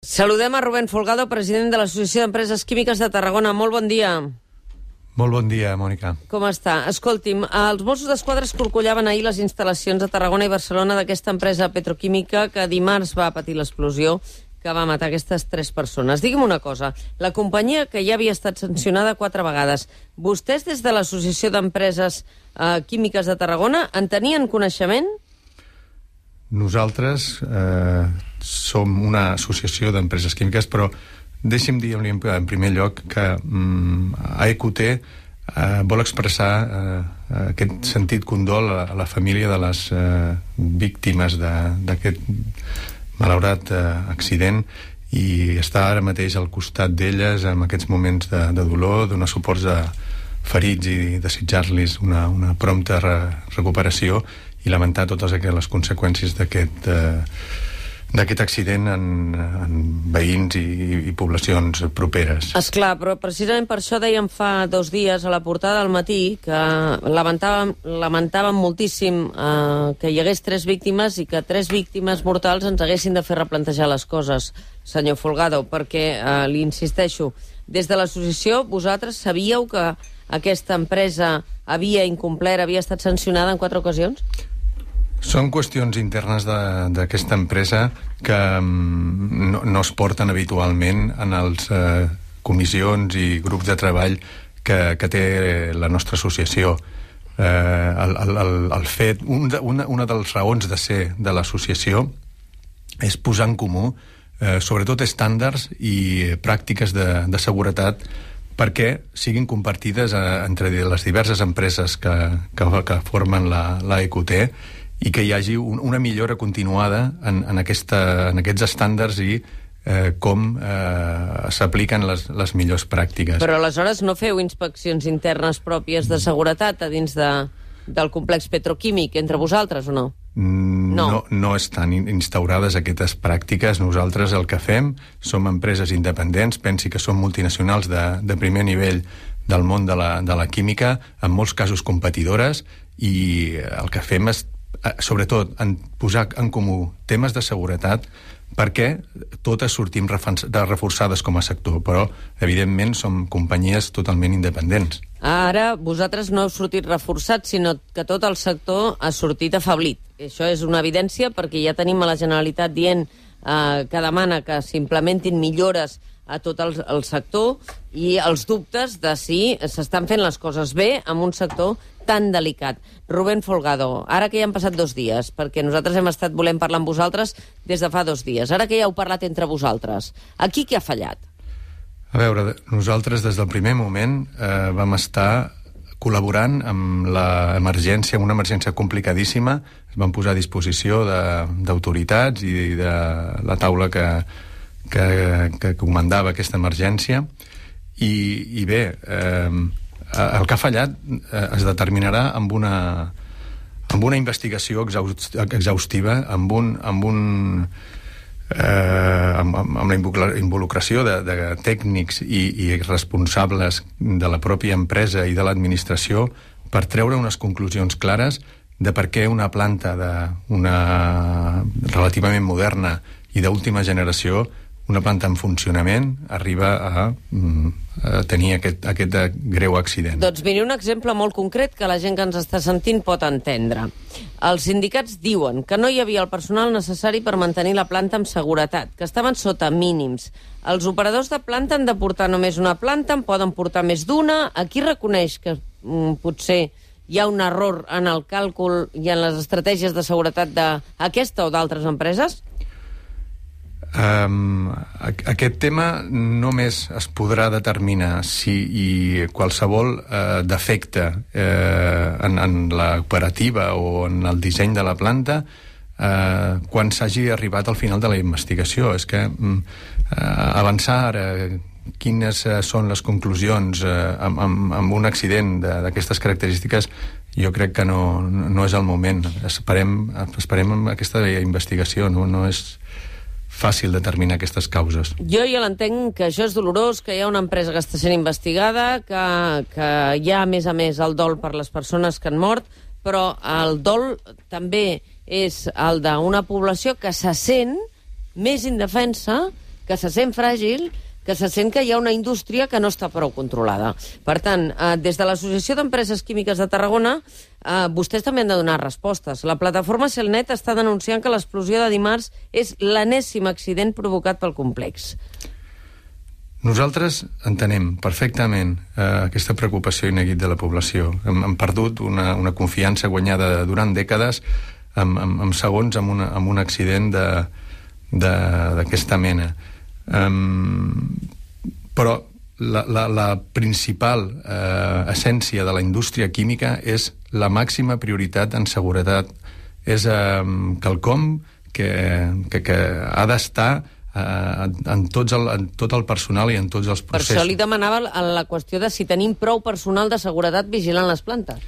Saludem a Rubén Folgado, president de l'Associació d'Empreses Químiques de Tarragona. Molt bon dia. Molt bon dia, Mònica. Com està? Escolti'm, els Mossos d'Esquadra escorcollaven ahir les instal·lacions de Tarragona i Barcelona d'aquesta empresa petroquímica que dimarts va patir l'explosió que va matar aquestes 3 persones. Digui'm una cosa, la companyia que ja havia estat sancionada 4 vegades, vostès des de l'Associació d'Empreses Químiques de Tarragona en tenien coneixement? Nosaltres som una associació d'empreses químiques, però deixi'm dir en primer lloc que AEQT vol expressar aquest sentit condol a la família de les víctimes d'aquest malaurat accident i està ara mateix al costat d'elles en aquests moments de dolor, donar suports a ferits i desitjar-los una prompta recuperació i lamentar totes les conseqüències d'aquest accident en veïns i poblacions properes. Esclar, però precisament per això dèiem fa 2 dies a la portada del Matí que lamentàvem moltíssim que hi hagués 3 víctimes i que 3 víctimes mortals ens haguessin de fer replantejar les coses, senyor Folgado, perquè li insisteixo, des de l'associació vosaltres sabíeu que aquesta empresa havia incomplert, havia estat sancionada en 4 ocasions? Són qüestions internes d'aquesta empresa que no es porten habitualment en les comissions i grups de treball que té la nostra associació. El fet, una de les raons de ser de l'associació és posar en comú sobretot estàndards i pràctiques de seguretat perquè siguin compartides entre les diverses empreses que formen l'AEQT i que hi hagi una millora continuada en aquests estàndards i com s'apliquen les millors pràctiques. Però aleshores no feu inspeccions internes pròpies de seguretat a dins del complex petroquímic entre vosaltres o no? No estan instaurades aquestes pràctiques. Nosaltres el que fem som empreses independents, pensi que som multinacionals de primer nivell del món de la química, en molts casos competidores, i el que fem és sobretot posar en comú temes de seguretat perquè totes sortim reforçades com a sector, però evidentment som companyies totalment independents. Ara vosaltres no heu sortit reforçats, sinó que tot el sector ha sortit afeblit. Això és una evidència perquè ja tenim a la Generalitat dient que demana que s'implementin millores a tot el sector i els dubtes de si s'estan fent les coses bé en un sector tan delicat. Rubén Folgado, ara que ja han passat 2 dies, perquè nosaltres hem estat volent parlar amb vosaltres des de fa 2 dies, ara que ja heu parlat entre vosaltres, aquí què ha fallat? A veure, nosaltres des del primer moment vam estar col·laborant amb l'emergència, una emergència complicadíssima, es van posar a disposició d'autoritats i de la taula que comandava aquesta emergència i bé, el que ha fallat es determinarà amb una investigació exhaustiva, amb la involucració de tècnics i responsables de la pròpia empresa i de l'administració per treure unes conclusions clares de per què una planta relativament moderna i d'última generació, una planta en funcionament, arriba a tenir aquest greu accident. Doncs miri, un exemple molt concret que la gent que ens està sentint pot entendre. Els sindicats diuen que no hi havia el personal necessari per mantenir la planta amb seguretat, que estaven sota mínims. Els operadors de planta han de portar només una planta, en poden portar més d'una. Aquí reconeix que potser hi ha un error en el càlcul i en les estratègies de seguretat d'aquesta o d'altres empreses? Aquest tema només es podrà determinar si qualsevol defecte en l'operativa o en el disseny de la planta quan s'hagi arribat al final de la investigació. És que avançar ara quines són les conclusions amb un accident d'aquestes característiques jo crec que no és el moment. Esperem aquesta investigació, no és fàcil determinar aquestes causes. Jo ja l'entenc que això és dolorós, que hi ha una empresa que està sent investigada, que hi ha, a més, el dol per les persones que han mort, però el dol també és el d'una població que se sent més indefensa que se sent fràgil, que se sent que hi ha una indústria que no està prou controlada. Per tant, des de l'Associació d'Empreses Químiques de Tarragona, vostès també han de donar respostes. La plataforma Celnet està denunciant que l'explosió de dimarts és l'enèsim accident provocat pel complex. Nosaltres entenem perfectament aquesta preocupació i neguit de la població. Hem perdut una confiança guanyada durant dècades en segons amb un accident d'aquesta mena. Però la principal essència de la indústria química és la màxima prioritat en seguretat. És quelcom que ha d'estar en tot el personal i en tots els processos. Per això li demanava la qüestió de si tenim prou personal de seguretat vigilant les plantes.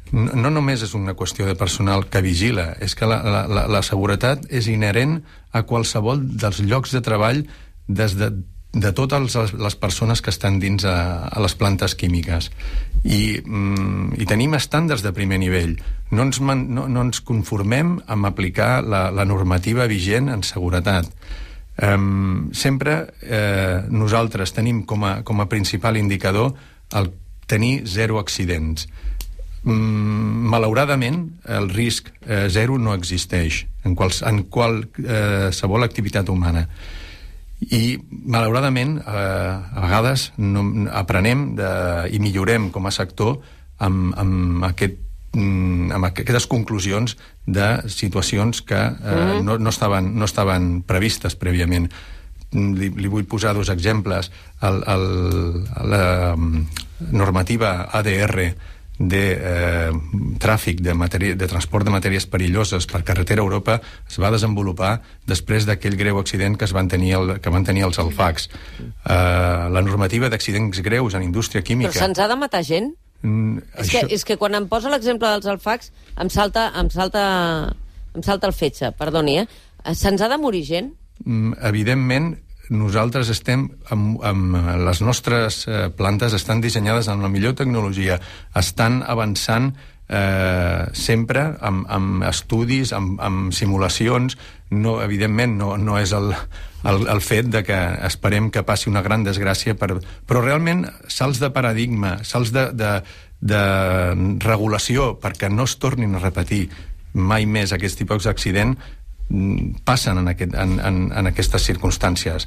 No només és una qüestió de personal que vigila, és que la seguretat és inherent a qualsevol dels llocs de treball de totes les persones que estan dins a les plantes químiques. I tenim estàndards de primer nivell. No ens conformem amb aplicar la normativa vigent en seguretat. Sempre nosaltres tenim com a principal indicador el tenir 0 accidents. Malauradament, el risc 0 no existeix en qualsevol activitat humana. I, malauradament, a vegades aprenem i millorem com a sector amb aquestes conclusions de situacions que no estaven previstes prèviament. Li vull posar 2 exemples. La normativa ADR de tràfic de transport de matèries perilloses per carretera a Europa es va desenvolupar després d'aquell greu accident que van tenir els alfacs. La normativa d'accidents greus en indústria química... Però se'ns ha de matar gent? És que quan em posa l'exemple dels alfacs em salta el fetge, perdoni, Se'ns ha de morir gent? Evidentment, nosaltres estem amb les nostres plantes estan dissenyades amb la millor tecnologia, estan avançant sempre amb estudis, amb simulacions. Evidentment no és el fet de que esperem que passi una gran desgràcia, però realment salts de paradigma, salts de regulació perquè no es tornin a repetir mai més aquest tipus d'accident passen en aquestes circumstàncies.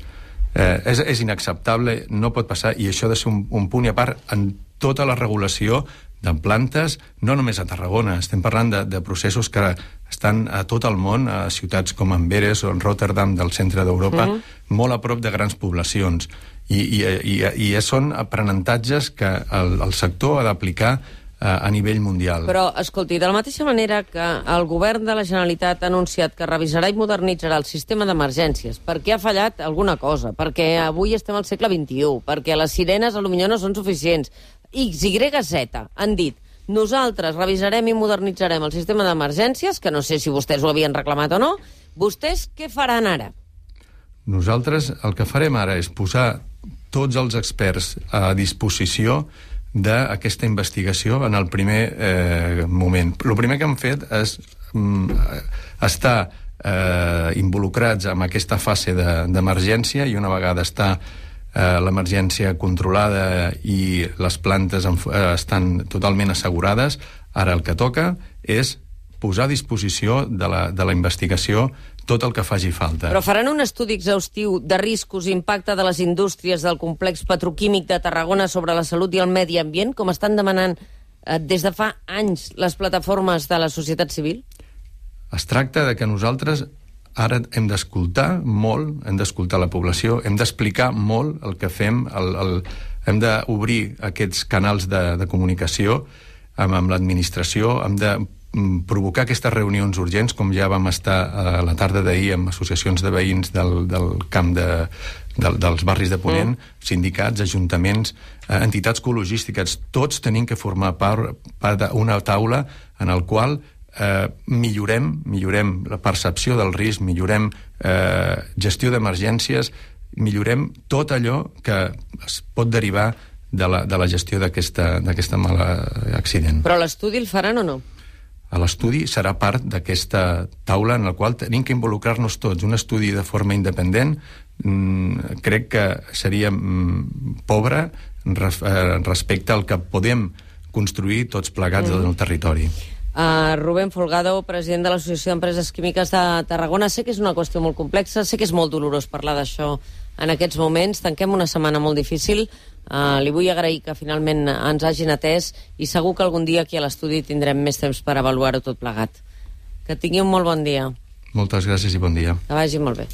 És inacceptable, no pot passar, i això ha de ser un punt i a part en tota la regulació de plantes, no només a Tarragona, estem parlant de processos que estan a tot el món, a ciutats com Amberes o en Rotterdam del centre d'Europa, molt a prop de grans poblacions. I són aprenentatges que el sector ha d'aplicar a nivell mundial. Però, escolti, de la mateixa manera que el govern de la Generalitat ha anunciat que revisarà i modernitzarà el sistema d'emergències, perquè ha fallat alguna cosa, perquè avui estem al segle XXI, perquè les sirenes potser no són suficients, X, Y, Z han dit: nosaltres revisarem i modernitzarem el sistema d'emergències, que no sé si vostès ho havien reclamat o no. Vostès què faran ara? Nosaltres el que farem ara és posar tots els experts a disposició d'aquesta investigació en el primer moment. El primer que hem fet és estar involucrats en aquesta fase d'emergència, i una vegada està l'emergència controlada i les plantes estan totalment assegurades, ara el que toca és posar a disposició de la investigació tot el que faci falta. Però faran un estudi exhaustiu de riscos i impacte de les indústries del complex petroquímic de Tarragona sobre la salut i el medi ambient, com estan demanant des de fa anys les plataformes de la societat civil? Es tracta de que nosaltres ara hem d'escoltar molt, hem d'escoltar la població, hem d'explicar molt el que fem, hem d'obrir aquests canals de comunicació amb l'administració, hem de provocar aquestes reunions urgents, com ja vam estar a la tarda d'ahir amb associacions de veïns del camp dels barris de Ponent, sindicats, ajuntaments, entitats ecologístiques, tots tenim que formar part d'una taula en el qual millorem la percepció del risc, millorem gestió d'emergències, millorem tot allò que es pot derivar de la gestió d'aquesta mala accident. Però l'estudi el faran o no? L'estudi serà part d'aquesta taula en la qual tenim que involucrar-nos tots, un estudi de forma independent crec que seria pobre respecte al que podem construir tots plegats en el territori. Rubén Folgado, president de l'Associació d'Empreses Químiques de Tarragona. Sé que és una qüestió molt complexa, sé que és molt dolorós parlar d'això en aquests moments. Tanquem una setmana molt difícil. Li vull agrair que finalment ens hagin atès i segur que algun dia aquí a l'estudi tindrem més temps per avaluar-ho tot plegat. Que tingui un molt bon dia. Moltes gràcies i bon dia. Que vagi molt bé.